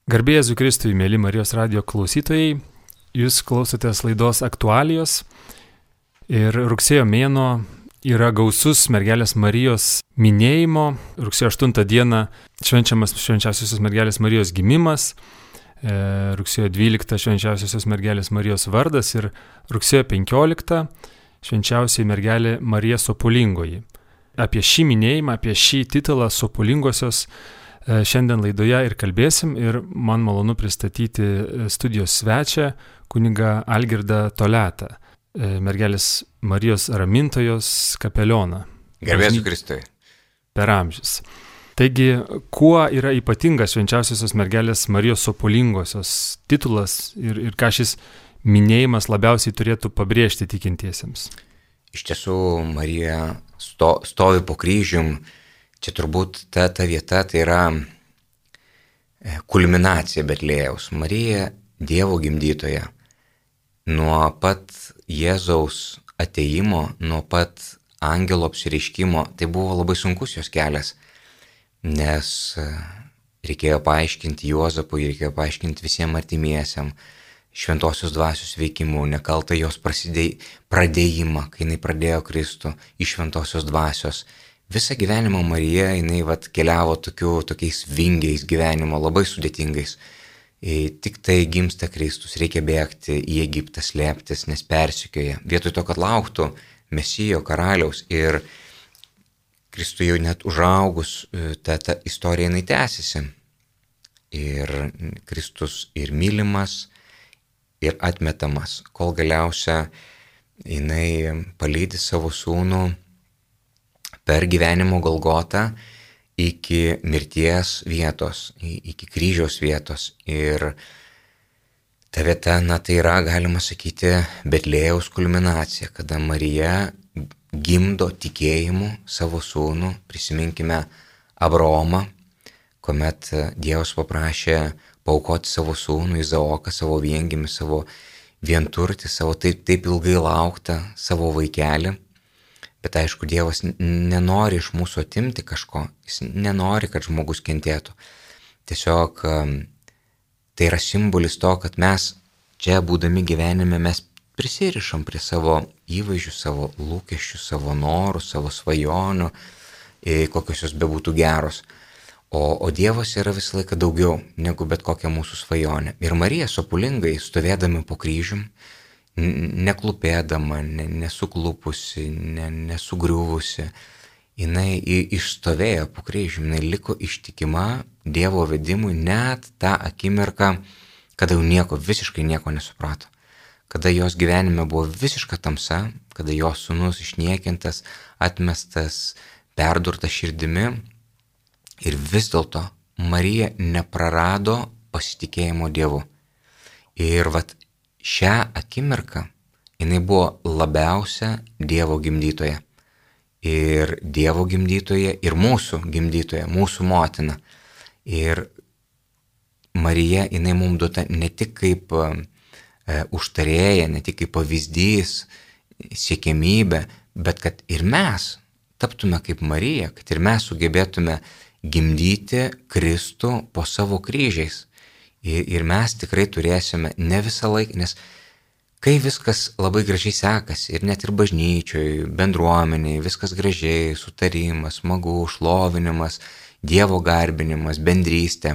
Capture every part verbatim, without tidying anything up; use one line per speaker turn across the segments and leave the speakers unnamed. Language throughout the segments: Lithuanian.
Garbė Jėzui Kristui, mėly Marijos radijo klausytojai, jūs klausotės laidos Aktualijos ir rugsėjo mėnuo yra gausus mergelės Marijos minėjimo. Rugsėjo aštuntą dieną švenčiamas švenčiausiosios mergelės Marijos gimimas, rugsėjo dvyliktą švenčiausiosios mergelės Marijos vardas ir rugsėjo penkioliktą švenčiausiai mergelė Marija Sopulingoji. Apie šį minėjimą, apie šį titulą Sopulingosios šiandien laidoje ir kalbėsim ir man malonu pristatyti studijos svečią, kunigą Algirdą Toletą, mergelės Marijos ramintojos kapelioną.
Garbė Jėzui Kristui.
Per amžius. Taigi, kuo yra ypatingas švenčiausiosios mergelės Marijos Sopulingosios titulas ir, ir ką šis minėjimas labiausiai turėtų pabrėžti tikintiesiems?
Iš tiesų, Marija sto, stovi po kryžium. Čia turbūt ta, ta vieta, tai yra kulminacija Betlėjaus. Marija Dievo gimdytoja. Nuo pat Jėzaus atėjimo, nuo pat angelo apsireiškimo, tai buvo labai sunkus jos kelias, nes reikėjo paaiškinti Juozapui, reikėjo paaiškinti visiems artimiesiam šventosios dvasios veikimu, nekaltą jos prasidėj, pradėjimą, kai jinai pradėjo Kristų iš šventosios dvasios. Visą gyvenimą Marija, jinai vat, keliavo tokiu, tokiais vingiais gyvenimo, labai sudėtingais. E, tik tai gimsta Kristus, reikia bėgti į Egiptą, slėptis, nes persekioja. Vietoj to, kad lauktų Mesijo karaliaus ir Kristui jau net užaugus, ta, ta istorija jinai tęsiasi. Ir Kristus ir mylimas, ir atmetamas, kol galiausia jinai palydi savo sūnų per gyvenimo Golgotą iki mirties vietos, iki kryžiaus vietos. Ir ta vieta, na tai yra, galima sakyti, Betlėjaus kulminacija, kada Marija gimdo tikėjimu savo sūnų. Prisiminkime Abraomą, kuomet Dievas paprašė paaukoti savo sūnų Izaoką, savo viengimį, savo vienturtį, savo taip, taip ilgai lauktą savo vaikelį. Bet aišku, Dievas nenori iš mūsų atimti kažko, jis nenori, kad žmogus kentėtų. Tiesiog tai yra simbolis to, kad mes čia būdami gyvenime, mes prisirišam prie savo įvaizdžių, savo lūkesčių, savo norų, savo svajonių, kokios jos bebūtų geros. O, o Dievas yra visą laiką daugiau negu bet kokia mūsų svajonė. Ir Marija Sopulingai, stovėdami po kryžium, neklupėdama, nesuklupusi, nesugriuvusi, jinai išstovėjo po kryžium, jinai liko ištikima Dievo vedimui net tą akimirką, kada jau nieko, visiškai nieko nesuprato. Kada jos gyvenime buvo visiška tamsa, kada jos sūnus išniekintas, atmestas, perdurtas širdimi. Ir vis dėlto Marija neprarado pasitikėjimo Dievu. Ir vat šią akimirką jinai buvo labiausia Dievo gimdytoja. Ir Dievo gimdytoja, ir mūsų gimdytoja, mūsų motina. Ir Marija, jinai mums duota ne tik kaip e, užtarėja, ne tik kaip pavyzdys, siekiamybė, bet kad ir mes taptume kaip Marija, kad ir mes sugebėtume gimdyti Kristų po savo kryžiais. Ir, ir mes tikrai turėsime ne visą laiką, nes kai viskas labai gražiai sekasi, ir net ir bažnyčioj, bendruomeniai, viskas gražiai, sutarimas, smagu, šlovinimas, Dievo garbinimas, bendrystė,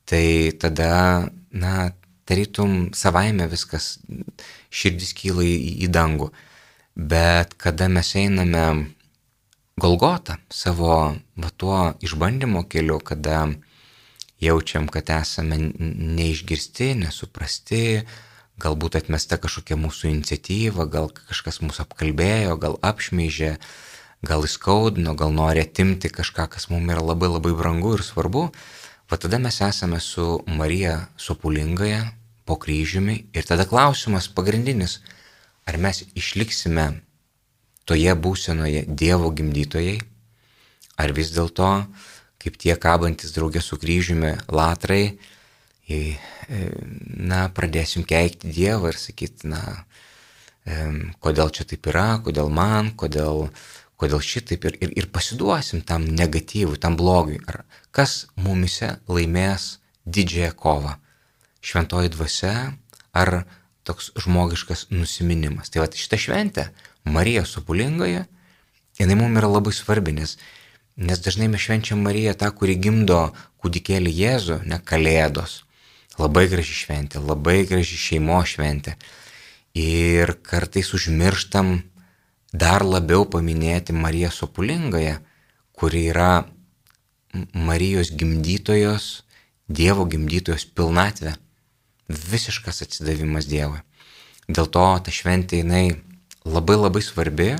tai tada, na, tarytum savaime viskas, širdis kyla į, į dangų. Bet kada mes einame Golgotą savo va, tuo išbandymo keliu, kada jaučiam, kad esame neišgirsti, nesuprasti, galbūt atmesta kažkokia mūsų iniciatyva, gal kažkas mūsų apkalbėjo, gal apšmeižė, gal įskaudino, gal nori atimti kažką, kas mums yra labai labai brangu ir svarbu. Va tada mes esame su Marija Sopulingoje po kryžiumi ir tada klausimas pagrindinis, ar mes išliksime toje būsenoje Dievo gimdytojai, ar vis dėlto, kaip tie kabantis draugė su kryžiumi latrai, na, pradėsim keikti Dievą ir sakyti, na, kodėl čia taip yra, kodėl man, kodėl, kodėl šitaip ir, ir, ir pasiduosim tam negatyvui, tam blogiui. Ar kas mumise laimės didžiąją kovą. Šventoji dvasia ar toks žmogiškas nusiminimas. Tai va šita šventė, Marija Sopulingoje, jinai mums yra labai svarbi, nes, nes dažnai mes švenčiam Mariją tą, kuri gimdo kūdikėlį Jėzų, ne Kalėdos. Labai graži šventė, labai graži šeimos šventė. Ir kartais užmirštam dar labiau paminėti Mariją Sopulingoje, kuri yra Marijos gimdytojos, Dievo gimdytojos pilnatvė, visiškas atsidavimas Dievui. Dėl to ta šventė jinai labai labai svarbi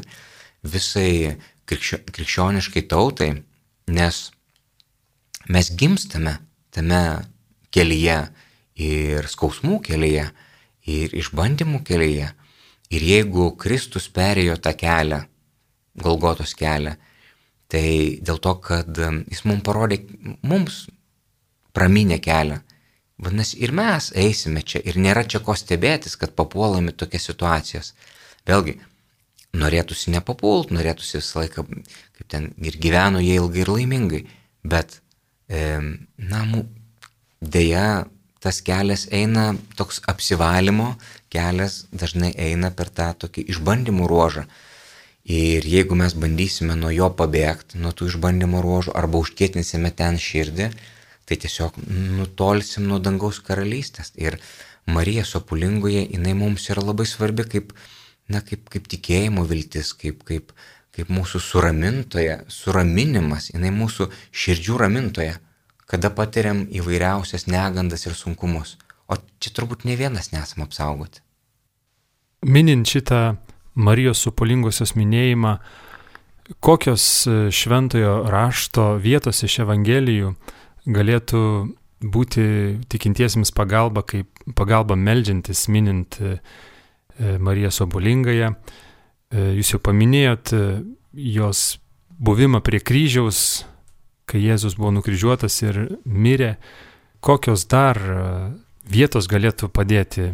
visai krikščio, krikščioniškai tautai, nes mes gimstame tame kelyje ir skausmų kelyje, ir išbandymų kelyje. Ir jeigu Kristus perėjo tą kelią, Golgotos kelią, tai dėl to, kad jis mums parodė, mums praminė kelią. Vadinasi, ir mes eisime čia ir nėra čia ko stebėtis, kad papuolame tokias situacijas. Vėlgi, norėtųsi nepapult, norėtųsi visą laiką, kaip ten ir gyveno jie ilgai ir laimingai, bet, e, na, dėja, tas kelias eina, toks apsivalymo kelias dažnai eina per tą tokį išbandymų ruožą. Ir jeigu mes bandysime nuo jo pabėgti, nuo tų išbandymo ruožų, arba užkietinsime ten širdį, tai tiesiog nutolsim nuo dangaus karalystės. Ir Marija Sopulingoje, jinai mums yra labai svarbi kaip, na, kaip, kaip tikėjimo viltis, kaip, kaip, kaip mūsų suramintoja, suraminimas, jinai mūsų širdžių ramintoja, kada patiriam įvairiausias negandas ir sunkumus. O čia turbūt ne vienas nesam apsaugoti.
Minint šitą Marijos Sopulingosios minėjimą, kokios šventojo rašto vietos iš Evangelijų galėtų būti tikintiesiems pagalba, kaip pagalba meldžiantis, minint Mariją Sopulingąją. Jūs jau paminėjot jos buvimą prie kryžiaus, kai Jėzus buvo nukryžiuotas ir mirė. Kokios dar vietos galėtų padėti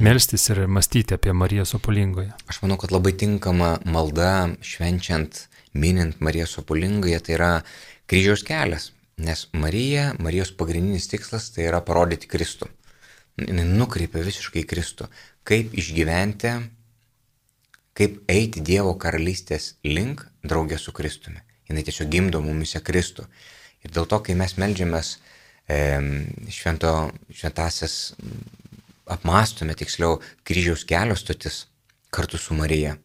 melstis ir mąstyti apie Mariją Sopulingoje?
Aš manau, kad labai tinkama malda švenčiant, minint Mariją Sopulingąją, tai yra kryžiaus kelias. Nes Marija, Marijos pagrindinis tikslas tai yra parodyti Kristų. Jis nukreipia visiškai Kristų. Kaip išgyventi, kaip eiti Dievo karalystės link draugė su Kristumi. Jis tiesiog gimdo mumise Kristų. Ir dėl to, kai mes meldžiamės e, švento, šventasias, apmąstome tiksliau kryžiaus kelio stotis kartu su Marija.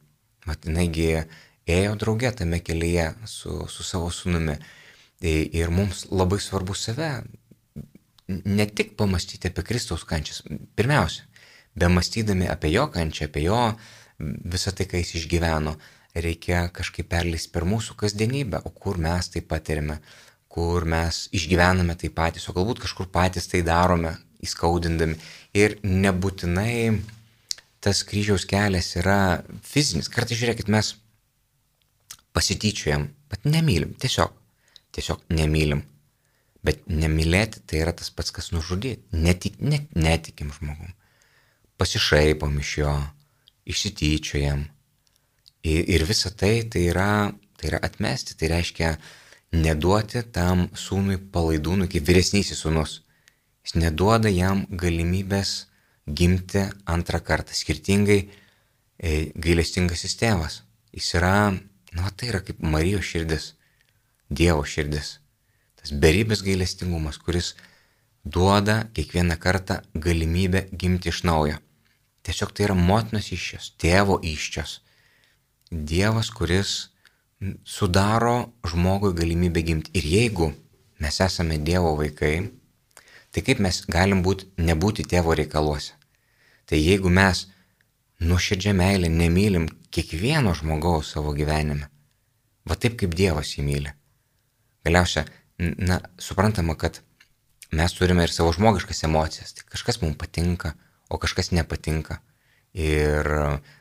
Mat, jinaigi ėjo draugė tame kelyje su, su savo sūnumi. Ir mums labai svarbu save ne tik pamastyti apie Kristaus kančias. Pirmiausia, be mąstydami apie jo kančią, apie jo visą tai, ką jis išgyveno, reikia kažkaip perleisti per mūsų kasdienybę, o kur mes tai patirime, kur mes išgyvename tai patys, o galbūt kažkur patys tai darome, įskaudindami. Ir nebūtinai tas kryžiaus kelias yra fizinis. Kartais žiūrėkit, mes pasityčiojam, bet nemylim, tiesiog. Tiesiog nemylim. Bet nemylėti tai yra tas pats, kas nužudyti. Netik, net, netikim žmogum. Pasišaipom iš jo, išsityčiojam. Ir, ir visa tai tai yra, tai yra atmesti. Tai reiškia neduoti tam sūnui palaidūnui, kaip vyresnysis sūnus. Jis neduoda jam galimybės gimti antrą kartą. Skirtingai e, gailestingasis tėvas. Jis yra, na, tai yra kaip Marijos širdis. Dievo širdis, tas beribės gailestingumas, kuris duoda kiekvieną kartą galimybę gimti iš naujo. Tiesiog tai yra motinos įsčios, tėvo įsčios. Dievas, kuris sudaro žmogui galimybę gimti. Ir jeigu mes esame Dievo vaikai, tai kaip mes galim būti, nebūti tėvo reikaluose? Tai jeigu mes nuoširdžia meilė nemylim kiekvieno žmogaus savo gyvenime, va taip kaip Dievas jį myli. Galiausia, na, suprantama, kad mes turime ir savo žmogiškas emocijas. Tai kažkas mums patinka, o kažkas nepatinka. Ir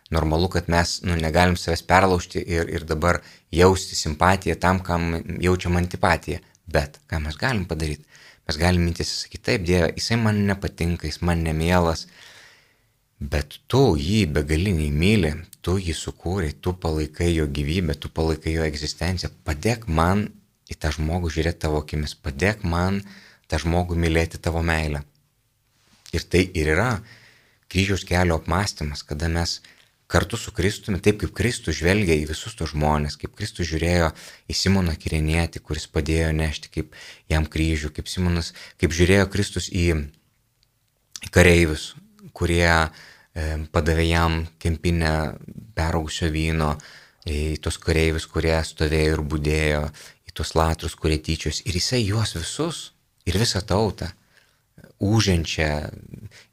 normalu, kad mes nu, negalim savęs perlaužti ir, ir dabar jausti simpatiją tam, kam jaučiam antipatiją. Bet ką mes galim padaryti? Mes galim mintis sakyti, taip, Dieve, jisai man nepatinka, jis man nemielas, bet tu jį begaliniai myli, tu jį sukūrei, tu palaikai jo gyvybę, tu palaikai jo egzistenciją. Padėk man į tą žmogų žiūrėti tavo akimis, padėk man tą žmogų mylėti tavo meilę. Ir tai ir yra kryžiaus kelio apmąstymas, kada mes kartu su Kristumi, taip kaip Kristus žvelgia į visus tos žmonės, kaip Kristus žiūrėjo į Simoną Kirenietį, kuris padėjo nešti kaip jam kryžių, kaip Simonas, kaip žiūrėjo Kristus į kareivius, kurie e, padavė jam kempinę peraugusio vyno, į tos kareivius, kurie stovėjo ir budėjo, į tos latrus, kurie tyčios. Ir jisai juos visus ir visą tautą uženčia,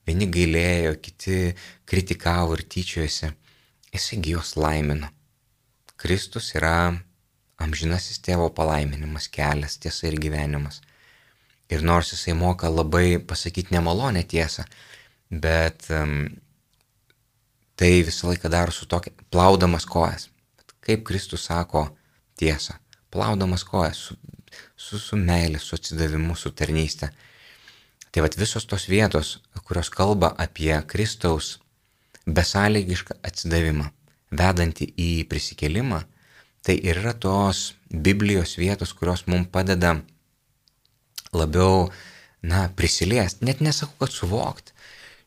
vieni gailėjo, kiti kritikavo ir tyčiojosi. Jisai juos laimino. Kristus yra amžinasis tėvo palaiminimas, kelias, tiesa ir gyvenimas. Ir nors jisai moka labai pasakyti nemalonę tiesą, bet um, tai visą laiką daro su tokia, plaudamas kojas. Kaip Kristus sako tiesą, plaudamas kojas, su, su, su meilė, su atsidavimu, su tarnyste. Tai vat visos tos vietos, kurios kalba apie Kristaus besąlygišką atsidavimą, vedantį į prisikėlimą, tai ir yra tos Biblijos vietos, kurios mums padeda labiau, na, prisiliesti. Net nesakau, kad suvokti.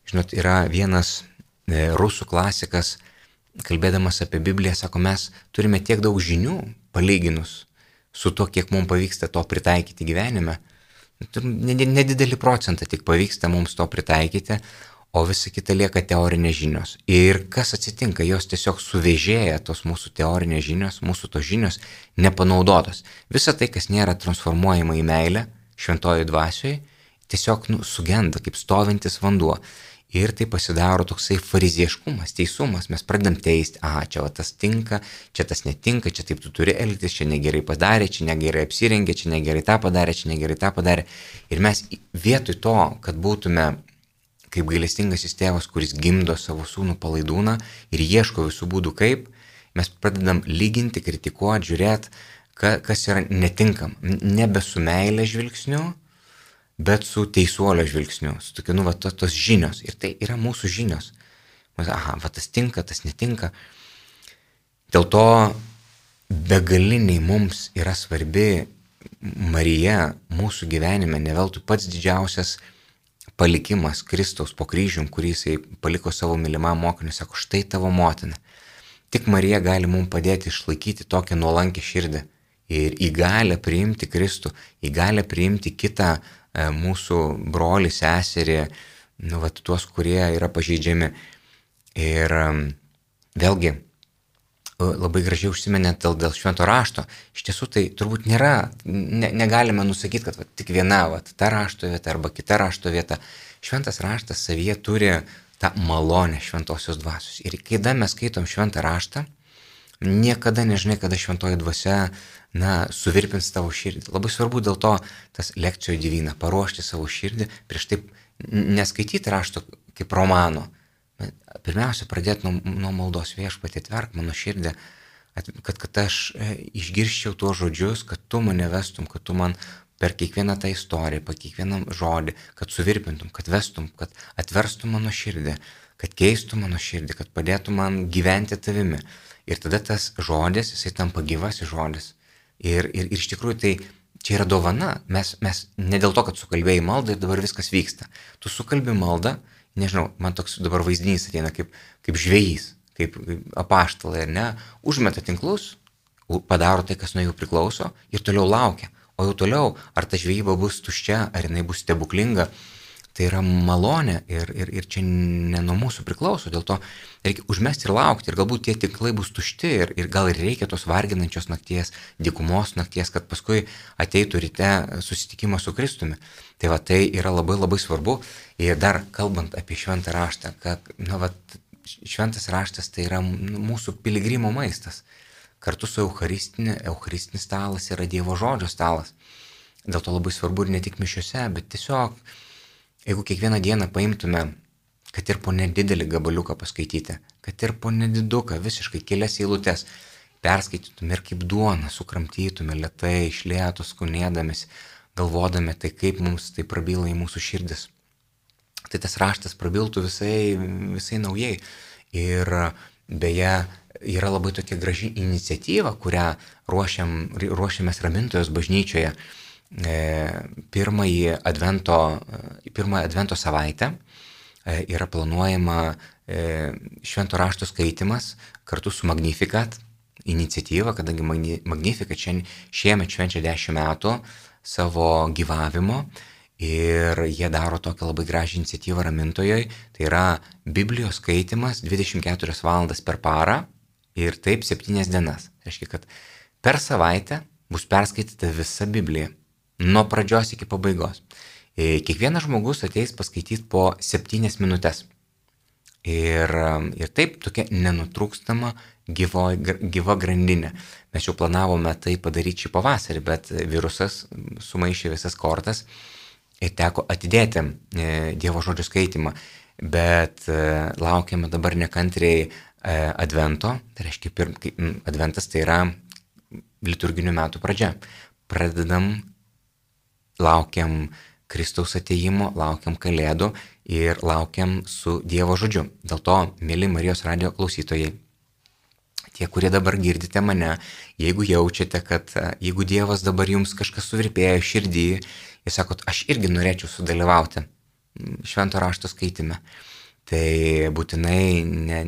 Žinot, yra vienas e, rusų klasikas, kalbėdamas apie Bibliją, sako, mes turime tiek daug žinių, palyginus su to, kiek mums pavyksta to pritaikyti gyvenime. Nedidelį procentą tik pavyksta mums to pritaikyti, o visa kita lieka teorinės žinios. Ir kas atsitinka, jos tiesiog suvėžėja tos mūsų teorinės žinios, mūsų tos žinios nepanaudotos. Visa tai, kas nėra transformuojama į meilę, šventojoj dvasioje, tiesiog nu, sugenda kaip stovintis vanduo. Ir tai pasidaro toksai farizieškumas, teisumas. Mes pradedam teisti, aha, čia va, tas tinka, čia tas netinka, čia taip tu turi elgtis, čia negerai padarė, čia negerai apsirengė, čia negerai tą padarė, čia negerai tą padarė. Ir mes vietoj to, kad būtume kaip gailestingasis tėvas, kuris gimdo savo sūnų palaidūną ir ieško visų būdų kaip, mes pradedam lyginti, kritikuoti, žiūrėti, ka, kas yra netinkam. Nebe su meilė žvilgsniu, bet su teisuolio žvilgsniu, su tokiu, nu, va, tos, tos žinios. Ir tai yra mūsų žinios. Aha, va, tas tinka, tas netinka. Dėl to begaliniai mums yra svarbi Marija mūsų gyvenime, ne veltui pats didžiausias palikimas Kristaus po kryžium, kurį jisai paliko savo mylimam mokiniui, sako, štai tavo motina. Tik Marija gali mums padėti išlaikyti tokią nuolankę širdį ir įgalę priimti Kristų, įgalę priimti kitą e, mūsų brolį, seserį, nu, vat, tuos, kurie yra pažeidžiami. Ir e, vėlgi, labai gražiai užsiminėt dėl, dėl švento rašto. Iš tiesų tai turbūt nėra, ne, negalime nusakyti, kad va, tik viena va, ta rašto vieta arba kita rašto vieta. Šventas raštas savyje turi tą malonę šventosios dvasios. Ir kada mes skaitom šventą raštą, niekada nežinai, kada šventoji dvasia, na, suvirpins tavo širdį. Labai svarbu dėl to tas lekcijų divina, paruošti savo širdį, prieš taip neskaityti rašto kaip romano. Pirmiausia, pradėti nuo, nuo maldos, viešpatie, atverk mano širdį, kad, kad aš išgirščiau tuos žodžius, kad tu mane vestum, kad tu man per kiekvieną tą istoriją, per kiekvieną žodį, kad suvirpintum, kad vestum, kad atverstum mano širdį, kad keistum mano širdį, kad padėtum man gyventi tavimi. Ir tada tas žodis, jisai tampa gyvasis žodis. Ir, ir, ir iš tikrųjų tai čia yra dovana. Mes, mes ne dėl to, kad sukalbėjai maldą ir dabar viskas vyksta. Tu sukalbi maldą, nežinau, man toks dabar vaizdinys ateina kaip, kaip žvejys, kaip apaštalai, ar ne, užmeta tinklus, padaro tai, kas nuo jų priklauso ir toliau laukia. O jau toliau, ar ta žvejyba bus tuščia, ar jinai bus stebuklinga, tai yra malonė ir, ir, ir čia ne nuo mūsų priklauso, dėl to reikia užmesti ir laukti ir galbūt tie tinklai bus tušti ir, ir gal ir reikia tos varginančios nakties, dykumos nakties, kad paskui ateitų ryte susitikimas su Kristumi. Tai va, tai yra labai labai svarbu. Ir dar kalbant apie šventą raštą, kad, na, va, šventas raštas tai yra mūsų piligrimo maistas. Kartu su eucharistinė, eucharistinis stalas yra Dievo žodžio stalas. Dėl to labai svarbu ir ne tik mišiose, bet tiesiog, jeigu kiekvieną dieną paimtume, kad ir po nedidelį gabaliuką paskaityti, kad ir po nediduką, visiškai kelias eilutes, perskaitytume ir kaip duoną sukramtytume lėtai, iš lėto skunėdamės, galvodami, tai kaip mums tai prabyla į mūsų širdis. Tai tas raštas prabiltų visai, visai naujai. Ir beje, yra labai tokia graži iniciatyva, kurią ruošiam, ruošiamės Ramintojos bažnyčioje. pirmąjį advento, pirmąją advento savaitę yra planuojama švento rašto skaitimas kartu su Magnificat iniciatyva, kadangi Magnificat šiemet švenčia dešimt metų savo gyvavimo ir jie daro tokią labai gražią iniciatyvą Ramintojoj. Tai yra Biblijos skaitimas dvidešimt keturias valandas per parą ir taip septynias dienas. Tai reiškia, kad per savaitę bus perskaityta visa Biblija, nuo pradžios iki pabaigos. Kiekvienas žmogus ateis paskaityti po septynias minutės. Ir, ir taip tokia nenutrūkstama gyvo, gyva grandinė. Mes jau planavome tai padaryti šį pavasarį, bet virusas sumaišė visas kortas ir teko atidėti Dievo žodžio skaitimą. Bet laukiame dabar nekantriai advento, tai reiškia, pir, adventas tai yra liturginių metų pradžia. Pradedam, laukiam Kristaus atėjimo, laukiam Kalėdų ir laukiam su Dievo žodžiu. Dėl to, mėly Marijos radijo klausytojai, tie, kurie dabar girdite mane, jeigu jaučiate, kad jeigu Dievas dabar jums kažkas suvirpėjo širdį, jūs sakot, aš irgi norėčiau sudalyvauti švento rašto skaitime, tai būtinai ne,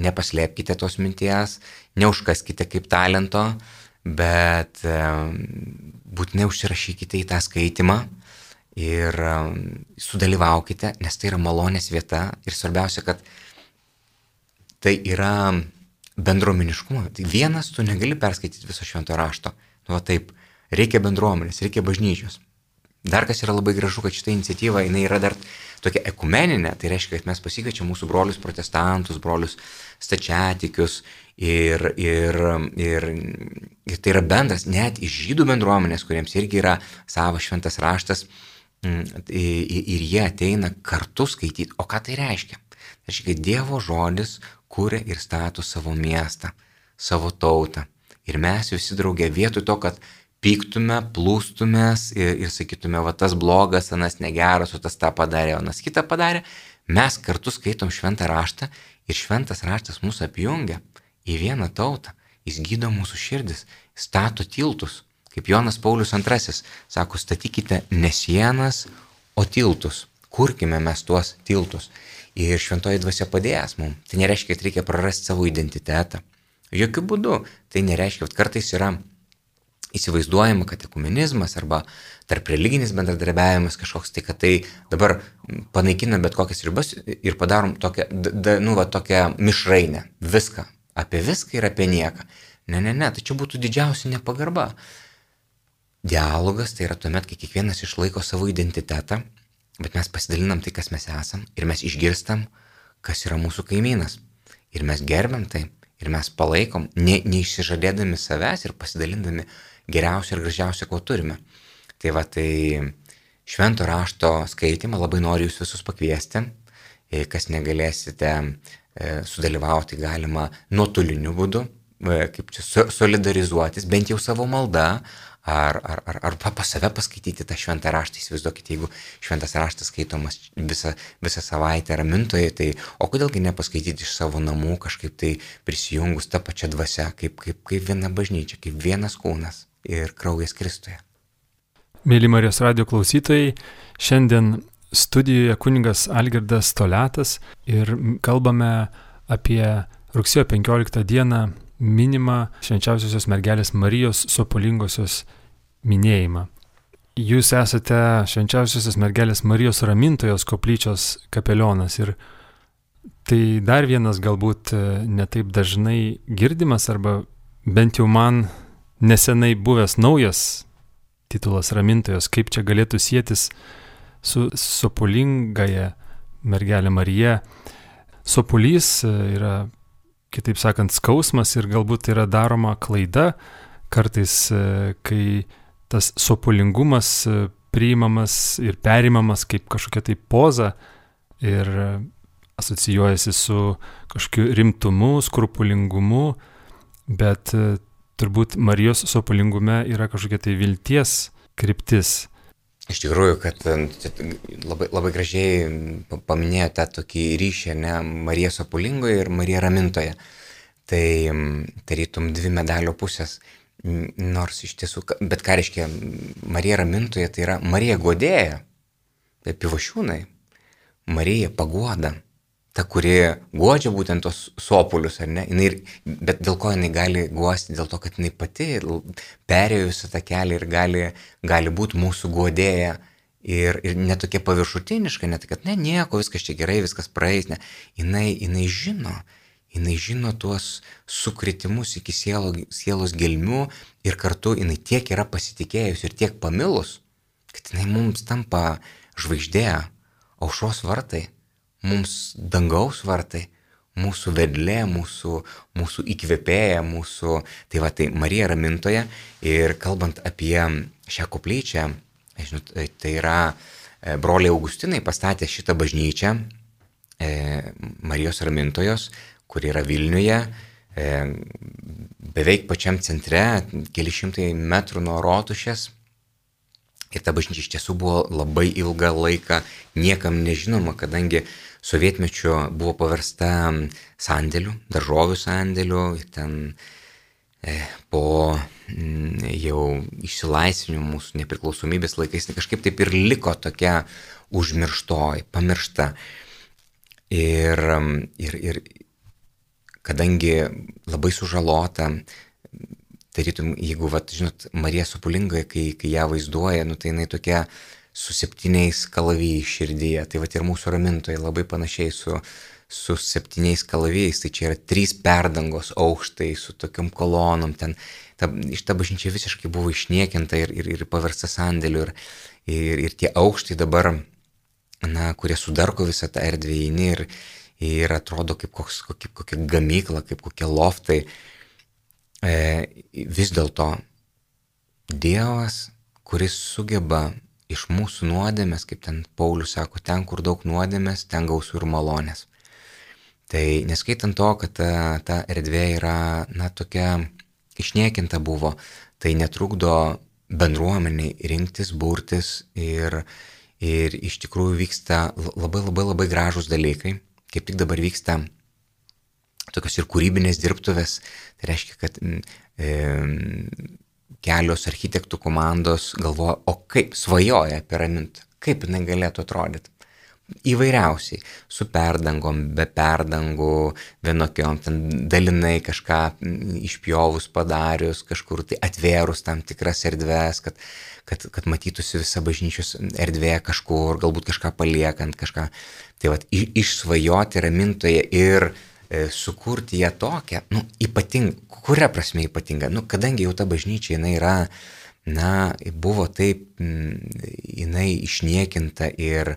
nepaslėpkite tos minties, neužkaskite kaip talento, bet būtinai užsirašykite į tą skaitimą ir sudalyvaukite, nes tai yra malonės vieta ir svarbiausia, kad tai yra bendruomeniškumo. Tai vienas tu negali perskaityti viso švento rašto. Nu, va taip, reikia bendruomenės, reikia bažnyčios. Dar kas yra labai gražu, kad šita iniciatyva, jinai yra dar tokia ekumeninė, tai reiškia, kad mes pasikviečiam mūsų brolius protestantus, brolius stačiatikius ir, ir, ir, ir tai yra bendras, net iš žydų bendruomenės, kuriems irgi yra savas šventas raštas, ir jie ateina kartu skaityti. O ką tai reiškia? Tai reiškia, kad Dievo žodis kuria ir stato savo miestą, savo tautą. Ir mes visi draugė vietoj to, kad pyktume, plūstumės ir, ir sakytume, va tas blogas, anas negeras, o tas tą padarė, o anas kitą padarė, mes kartu skaitom šventą raštą ir šventas raštas mūsų apjungia į vieną tautą. Jis gydo mūsų širdis, stato tiltus. Kaip Jonas Paulius antrasis sako, statykite ne sienas, o tiltus. Kurkime mes tuos tiltus. Ir šventoji dvasia padės mums. Tai nereiškia, kad reikia prarasti savo identitetą. Jokių būdų. Tai nereiškia, kad kartais yra įsivaizduojama, kad ekumenizmas arba tarp religinis bendradarbiavimas kažkoks, tai kad tai dabar panaikina bet kokias ribas ir padarom tokią, da, nu, va, tokią mišrainę. Viską. Apie viską ir apie nieką. Ne, ne, ne. Tai čia būtų didžiausia nepagarba. Dialogas tai yra tuomet, kai kiekvienas išlaiko savo identitetą, bet mes pasidalinam tai, kas mes esam ir mes išgirstam, kas yra mūsų kaimynas. Ir mes gerbiam tai ir mes palaikom, ne, neišsižadėdami savęs ir pasidalindami geriausia ir gražiausia, ko turime. Tai va, tai švento rašto skaitimą labai noriu jūs visus pakviesti, kas negalėsite sudalyvauti, galima nuotoliniu būdu, kaip čia solidarizuotis, bent jau savo malda, ar, ar, ar, ar pas save paskaityti tą šventą raštą. Įsivaizduokite, jeigu šventas raštas skaitomas visą, visą savaitę Ramintoje, tai o kodėlgi nepaskaityti iš savo namų, kažkaip tai prisijungus tą pačią dvasią, kaip, kaip, kaip viena bažnyčia, kaip vienas kūnas ir kraujas Kristuje.
Mėly Marijos radijo klausytojai, šiandien studijoje kunigas Algirdas Toliatas ir kalbame apie rugsėjo penkioliktą dieną minimą švenčiausiosios mergelės Marijos sopulingosios minėjimą. Jūs esate švenčiausiosios mergelės Marijos Ramintojos koplyčios kapelionas ir tai dar vienas galbūt netaip dažnai girdimas arba bent jau man nesenai buvęs naujas titulas Ramintojos, kaip čia galėtų sietis su sopulingąja mergelė Marija. Sopulys yra, kitaip sakant, skausmas ir galbūt yra daroma klaida kartais, kai tas sopulingumas priimamas ir perimamas kaip kažkokia tai poza ir asocijuojasi su kažkokiu rimtumu, skrupulingumu, bet turbūt Marijos sopulingume yra kažkokia tai vilties kryptis.
Iš tikrųjų, kad labai, labai gražiai paminėjote tokį ryšį, ne, Marija sopulingoje ir Marija Ramintoje. Tai tarytum dvi medalio pusės. Nors iš tiesų, bet ką reiškia Marija ramintoja, tai yra Marija guodėja, tai Pivašiūnai, Marija paguoda, ta, kuri guodžia būtent tos sopulius, ar ne, jinai, bet dėl ko jinai gali guosti, dėl to, kad jinai pati perėjo visą tą kelią ir gali, gali būti mūsų guodėja ir, ir netokia paviršutiniška, net kad ne, nieko, viskas čia gerai, viskas praeis, ne, jinai, jinai žino, jinai žino tuos sukritimus iki sielo, sielos gelmių ir kartu jinai tiek yra pasitikėjus ir tiek pamilus, kad jinai mums tampa žvaigždė, aušros vartai, mums dangaus vartai, mūsų vedlė, mūsų, mūsų įkvėpėja, mūsų, tai va, tai Marija ramintoja. Ir kalbant apie šią koplyčią, žinot, tai yra broliai Augustinai pastatė šitą bažnyčią Marijos ramintojos, kur yra Vilniuje, beveik pačiam centre, keli šimtai metrų nuo Rotušės. Ir ta bažnyčia iš tiesų buvo labai ilgą laiką niekam nežinoma, kadangi sovietmečiu buvo paversta sandėliu, daržovių sandėliu. Ir ten po jau išsilaisvinimo mūsų nepriklausomybės laikais kažkaip taip ir liko tokia užmirštoji, pamiršta. Ir, ir, ir kadangi labai sužalota, tarytum, jeigu, vat, žinot, Marija Sopulingoje, kai, kai ją vaizduoja, nu, tai jinai tokia su septyniais kalavijais širdyje, tai vat ir mūsų ramintoje labai panašiai su, su septyniais kalavijais, tai čia yra trys perdangos aukštai su tokiam kolonom, ten ta, iš ta bažnyčia visiškai buvo išniekinta ir, ir, ir paversta sandėliu, ir, ir, ir tie aukštai dabar, na, kurie sudarko visą tą erdvę įeini ir ir atrodo kaip, koks, kaip kokia gamykla, kaip kokie loftai. E, vis dėlto Dievas, kuris sugeba iš mūsų nuodėmės, kaip ten Paulius sako, ten, kur daug nuodėmės, ten gausu ir malonės. Tai neskaitant to, kad ta, ta erdvė yra, na, tokia išniekinta buvo, tai netrukdo bendruomeniai rinktis, burtis ir, ir iš tikrųjų vyksta labai labai labai gražūs dalykai. Kaip tik dabar vyksta tokios ir kūrybinės dirbtuvės, tai reiškia, kad e, kelios architektų komandos galvoja, o kaip svajoja apie ramintą, kaip jinai galėtų atrodyti. Įvairiausiai, su perdangom, be perdangų, vienokiom, ten dalinai kažką išpjovus, padarius, kažkur tai atvėrus tam tikras erdves, kad, kad, kad matytųsi visa bažnyčios erdvė kažkur, galbūt kažką paliekant, kažką. Tai vat, išsvajoti ramintoje ir e, sukurti ją tokią, nu, ypatingą, kuria prasme ypatinga, nu, kadangi jau ta bažnyčia, jinai yra, na, buvo taip, jinai išniekinta ir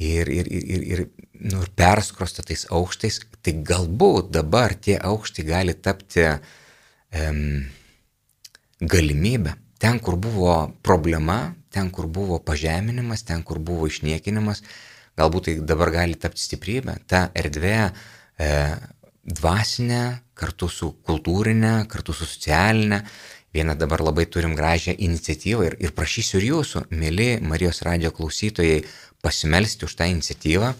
Ir, ir, ir, ir, nu, ir perskrosta tais aukštais, tai galbūt dabar tie aukštai gali tapti um, galimybę. Ten, kur buvo problema, ten, kur buvo pažeminimas, ten, kur buvo išniekinimas, galbūt tai dabar gali tapti stiprybė. Ta erdvė e, dvasinė, kartu su kultūrinė, kartu su socialinė. Vieną dabar labai turim gražią iniciatyvą ir, ir prašysiu ir jūsų, mėly Marijos radijo klausytojai, pasimelsti už tą iniciatyvą.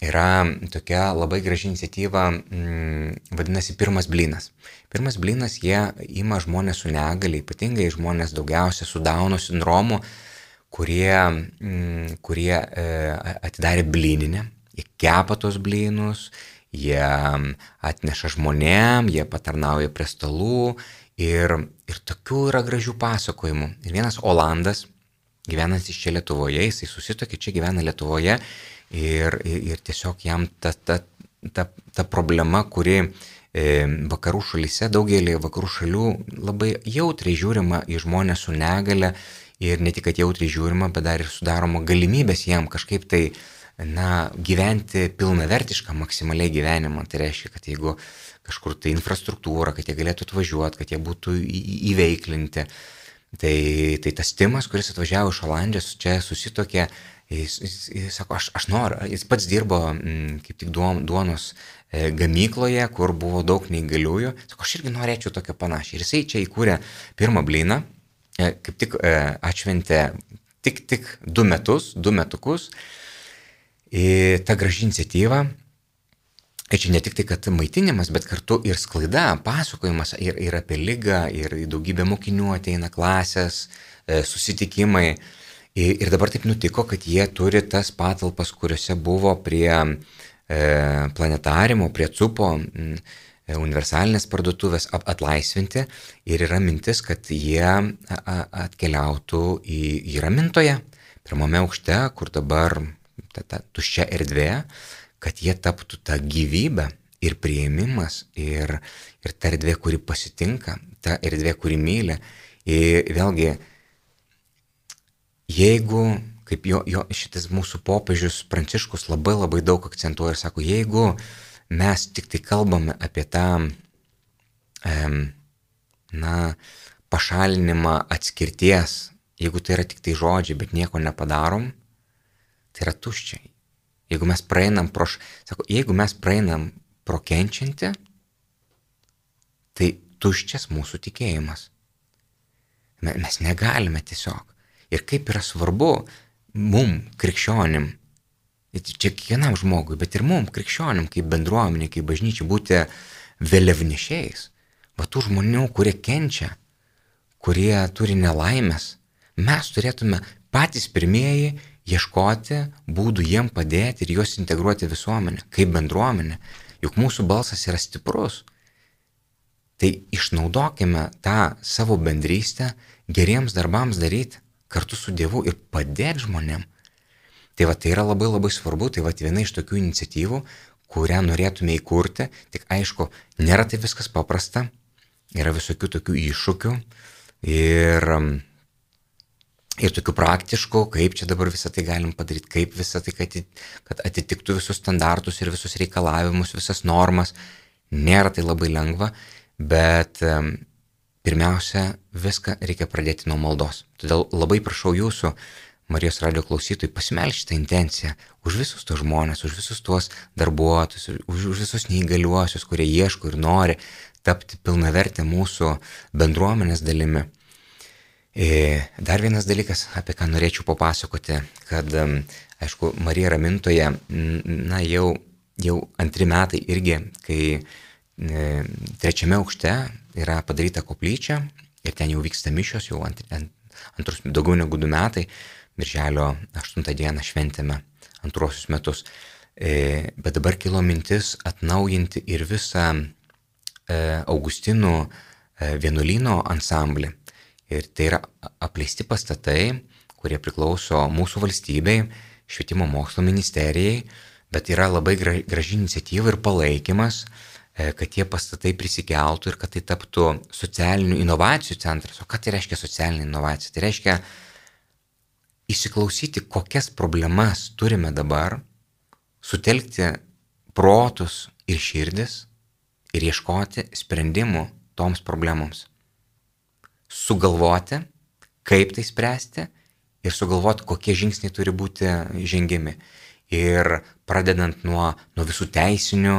Yra tokia labai graži iniciatyva, m, vadinasi Pirmas blynas. Pirmas blynas, jie ima žmonės su negalia, ypatingai žmonės daugiausia su Dauno sindromu, kurie, m, kurie e, atidarė blyninę, jie kepa tos blynus, jie atneša žmonėm, jie patarnauja prie stalų. Ir, ir tokių yra gražių pasakojimų. Ir vienas Olandas, gyvenantis čia Lietuvoje, jisai susitokė, čia gyvena Lietuvoje ir, ir, ir tiesiog jam ta, ta, ta, ta problema, kuri e, vakarų šalyse, daugelį vakarų šalių labai jautriai žiūrima į žmonės su negale ir ne tik, kad jautriai žiūrima, bet dar ir sudaroma galimybės jam kažkaip tai, na, gyventi pilnavertišką maksimaliai gyvenimą. Tai reiškia, kad jeigu kažkur tai infrastruktūra, kad jie galėtų atvažiuoti, kad jie būtų įveiklinti. Tai, tai tas Timas, kuris atvažiavo iš Olandijos, čia susitokė, jis, jis, jis sako, aš, aš noriu, jis pats dirbo m, kaip tik duonos e, gamykloje, kur buvo daug neįgaliųjų, sako, aš irgi norėčiau tokio panašiai. Ir jisai čia įkūrė Pirmą blyną, e, kaip tik e, atšventė tik, tik du metus, du metukus, e, ta graži iniciatyva. kad čia ne tik tai, kad maitinimas, bet kartu ir sklaida, pasakojimas ir, ir apie ligą, ir daugybė mokinių ateina klasės, susitikimai. Ir dabar taip nutiko, kad jie turi tas patalpas, kuriuose buvo prie planetarimo, prie cupo, universalinės parduotuvės atlaisvinti ir yra mintis, kad jie atkeliautų į, į Ramintoje, pirmame aukšte, kur dabar ta, ta tuščia erdvė, kad jie taptų tą gyvybę ir priėmimas ir, ir ta erdvė, kuri pasitinka, ta erdvė, kuri myli. Ir vėlgi, jeigu, kaip jo, jo šitas mūsų popiežius Pranciškus labai labai daug akcentuoja ir sako, jeigu mes tik tai kalbame apie tą em, na, pašalinimą atskirties, jeigu tai yra tik tai žodžiai, bet nieko nepadarom, tai yra tuščiai. Jeigu mes praeinam pro, sako, jeigu mes praeinam pro kenčiantį, tai tuščias mūsų tikėjimas. Mes negalime tiesiog. Ir kaip yra svarbu mum, krikščionim, čia kiekvienam žmogui, bet ir mum, krikščionim, kaip bendruomenė, kaip bažnyčia, būti vėliavnešiais. Va tų žmonių, kurie kenčia, kurie turi nelaimės, mes turėtume patys pirmieji ieškoti būdų jiem padėti ir juos integruoti visuomenę, kaip bendruomenė. Juk mūsų balsas yra stiprus. Tai išnaudokime tą savo bendrystę geriems darbams daryti kartu su Dievu ir padėti žmonėm. Tai va, tai yra labai labai svarbu, tai va, viena iš tokių iniciatyvų, kurią norėtume įkurti, tik aišku, nėra tai viskas paprasta, yra visokių tokių iššūkių ir, ir tokių praktiškų, kaip čia dabar visą tai galim padaryti, kaip visą tai, kad atitiktų visus standartus ir visus reikalavimus, visas normas. Nėra tai labai lengva, bet pirmiausia, viską reikia pradėti nuo maldos. Todėl labai prašau jūsų, Marijos radijo klausytojai, pasimelskite šitą intenciją už visus tos žmonės, už visus tuos darbuotojus, už, už visus neįgaliuosius, kurie ieško ir nori tapti pilnavertę mūsų bendruomenės dalimi. Dar vienas dalykas, apie ką norėčiau papasakoti, kad, aišku, Marija Ramintoje, na, jau, jau antri metai irgi, kai e, trečiame aukšte yra padaryta koplyčia ir ten jau vyksta mišios, jau ant, ant, antrus, daugiau negu du metai, birželio aštuntą dieną šventėme antruosius metus. E, bet dabar kilo mintis atnaujinti ir visą e, Augustinų e, vienuolyno ansamblį. Ir tai yra apleisti pastatai, kurie priklauso mūsų valstybei, švietimo mokslo ministerijai, bet yra labai graži iniciatyva ir palaikymas, kad tie pastatai prisikeltų ir kad tai taptų socialinių inovacijų centras. O ką tai reiškia socialinė inovacija? Tai reiškia įsiklausyti, kokias problemas turime dabar, sutelkti protus ir širdis ir ieškoti sprendimų toms problemoms. Sugalvoti, kaip tai spręsti ir sugalvoti, kokie žingsniai turi būti žengiami. Ir pradedant nuo, nuo visų teisinių,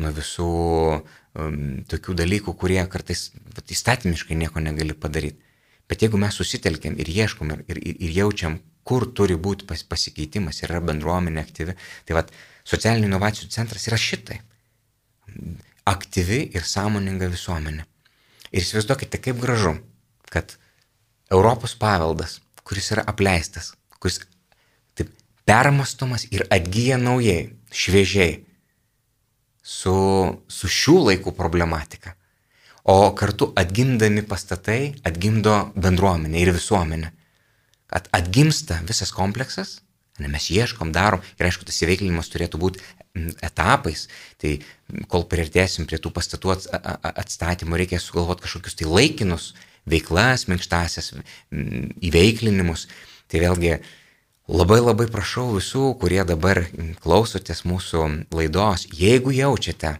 nuo visų um, tokių dalykų, kurie kartais įstatymiškai nieko negali padaryti. Bet jeigu mes susitelkiam ir ieškom ir, ir, ir jaučiam, kur turi būti pas, pasikeitimas ir yra bendruomenė aktyvi, tai vat socialinių inovacijų centras yra šitai. Aktyvi ir sąmoninga visuomenė. Ir įsivaizduokite, kaip gražu, kad Europos paveldas, kuris yra apleistas, kuris taip permastomas ir atgyja naujai, šviežiai, su, su šių laikų problematika. O kartu atgimdami pastatai atgimdo bendruomenę ir visuomenę. At, atgimsta visas kompleksas, ne, mes ieškom, darom ir aišku, tas įveiklinimas turėtų būti etapais. Tai kol priartėsim prie tų pastatų atstatymų, reikia sugalvoti kažkokius tai laikinus veiklas, minkštasias įveiklinimus. Tai vėlgi labai labai prašau visų, kurie dabar klausotės mūsų laidos, jeigu jaučiate,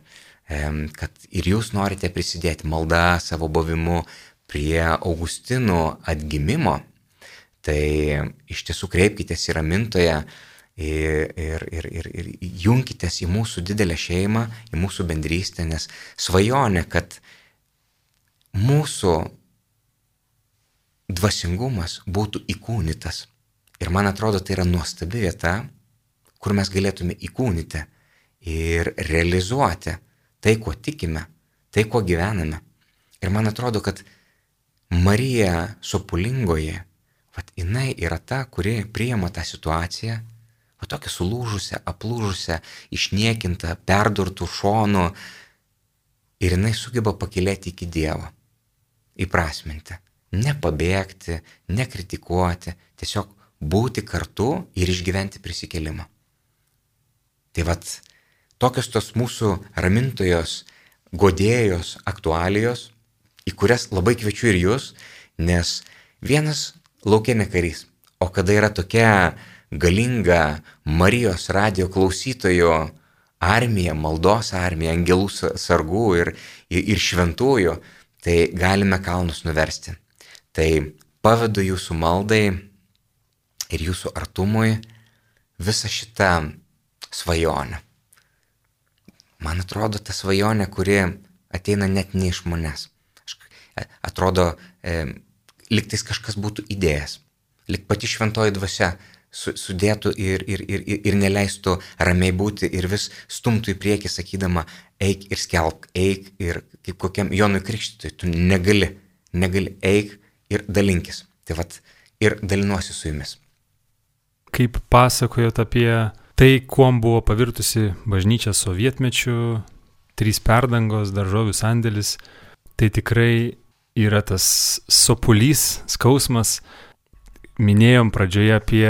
kad ir jūs norite prisidėti malda savo buvimu prie Augustinų atgimimo, tai iš tiesų kreipkitės į Ramintoje ir, ir, ir, ir, ir junkitės į mūsų didelę šeimą, į mūsų bendrystę, nes svajonė, kad mūsų dvasingumas būtų įkūnytas. Ir man atrodo, tai yra nuostabi vieta, kur mes galėtume įkūnyti ir realizuoti tai, kuo tikime, tai, kuo gyvename. Ir man atrodo, kad Marija Sopulingoji, vat jinai yra ta, kuri priima tą situaciją, va tokia sulūžusią, aplūžusią, išniekintą, perdurtų šonų, ir jinai sugeba pakilėti iki Dievo, įprasminti, nepabėgti, nekritikuoti, tiesiog būti kartu ir išgyventi prisikėlimą. Tai vat tokios tos mūsų ramintojos, godėjos aktualijos, į kurias labai kviečiu ir jūs, nes vienas lauke ne karys, o kada yra tokia galinga Marijos radijo klausytojų armija, maldos armija, angelų sargų ir, ir, ir šventųjų, tai galime kalnus nuversti. Tai pavedu jūsų maldai ir jūsų artumui visą šitą svajonę. Man atrodo, ta svajonė, kuri ateina net ne iš manęs. Atrodo, e, liktais kažkas būtų idėjas, lik pati šventoji dvasia su, sudėtų ir, ir, ir, ir neleistų ramiai būti ir vis stumtų į priekį, sakydama, eik ir skelbk, eik ir kaip kokiam Jonui Krikštytojui, tu negali, negali, eik ir dalinkis. Tai vat ir dalinuosi su jumis.
Kaip pasakojot apie tai, kuom buvo pavirtusi bažnyčia sovietmečiu, trys perdangos, daržovių sandėlis, tai tikrai yra tas sopulys, skausmas. Minėjom pradžioje apie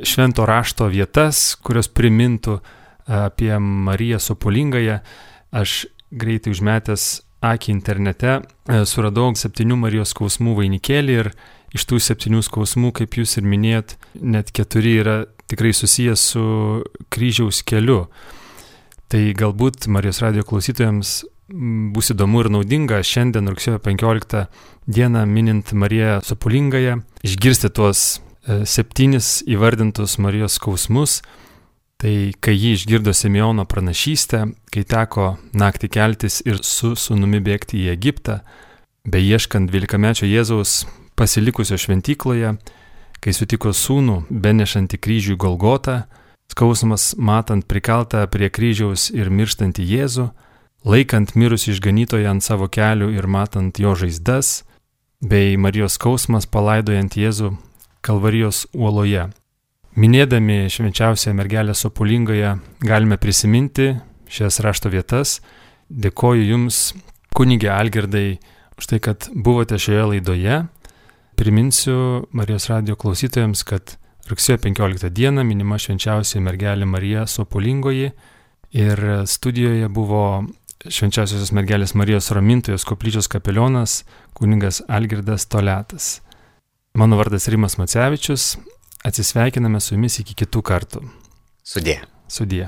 švento rašto vietas, kurios primintų apie Mariją Sopulingąją. Aš greitai užmetęs akį internete suradau septynių Marijos skausmų vainikėlį ir iš tų septynių skausmų, kaip jūs ir minėjot, net keturi yra tikrai susijęs su kryžiaus keliu. Tai galbūt Marijos radijo klausytojams bus įdomu ir naudinga šiandien rugsėjo penkioliktą dieną minint Mariją Sopulingąją išgirsti tuos septynis įvardintus Marijos skausmus. Tai kai ji išgirdo Simeono pranašystę, kai teko naktį keltis ir su sūnumi bėgti į Egiptą, beieškant dvylikamečio Jėzaus pasilikusio šventykloje, kai sutiko sūnų benešantį kryžių į Golgotą, skausmas matant prikaltą prie kryžiaus ir mirštantį Jėzų, laikant mirusį išganytoją ant savo kelių ir matant jo žaizdas, bei Marijos skausmas palaidojant Jėzų Kalvarijos uoloje. Minėdami švenčiausią mergelę Sopulingąją galime prisiminti šias rašto vietas. Dėkoju Jums, kunige Algirdai, už tai, kad buvote šioje laidoje. Priminsiu Marijos radijo klausytojams, kad rugsėjo penkioliktą dieną minima švenčiausia mergelė Marija Sopulingoji ir studijoje buvo švenčiausiosios mergelės Marijos Ramintojos koplyčios kapelionas kunigas Algirdas Toliatas. Mano vardas Rimas Macevičius. Atsisveikiname su jumis iki kitų kartų.
Sudie.
Sudie.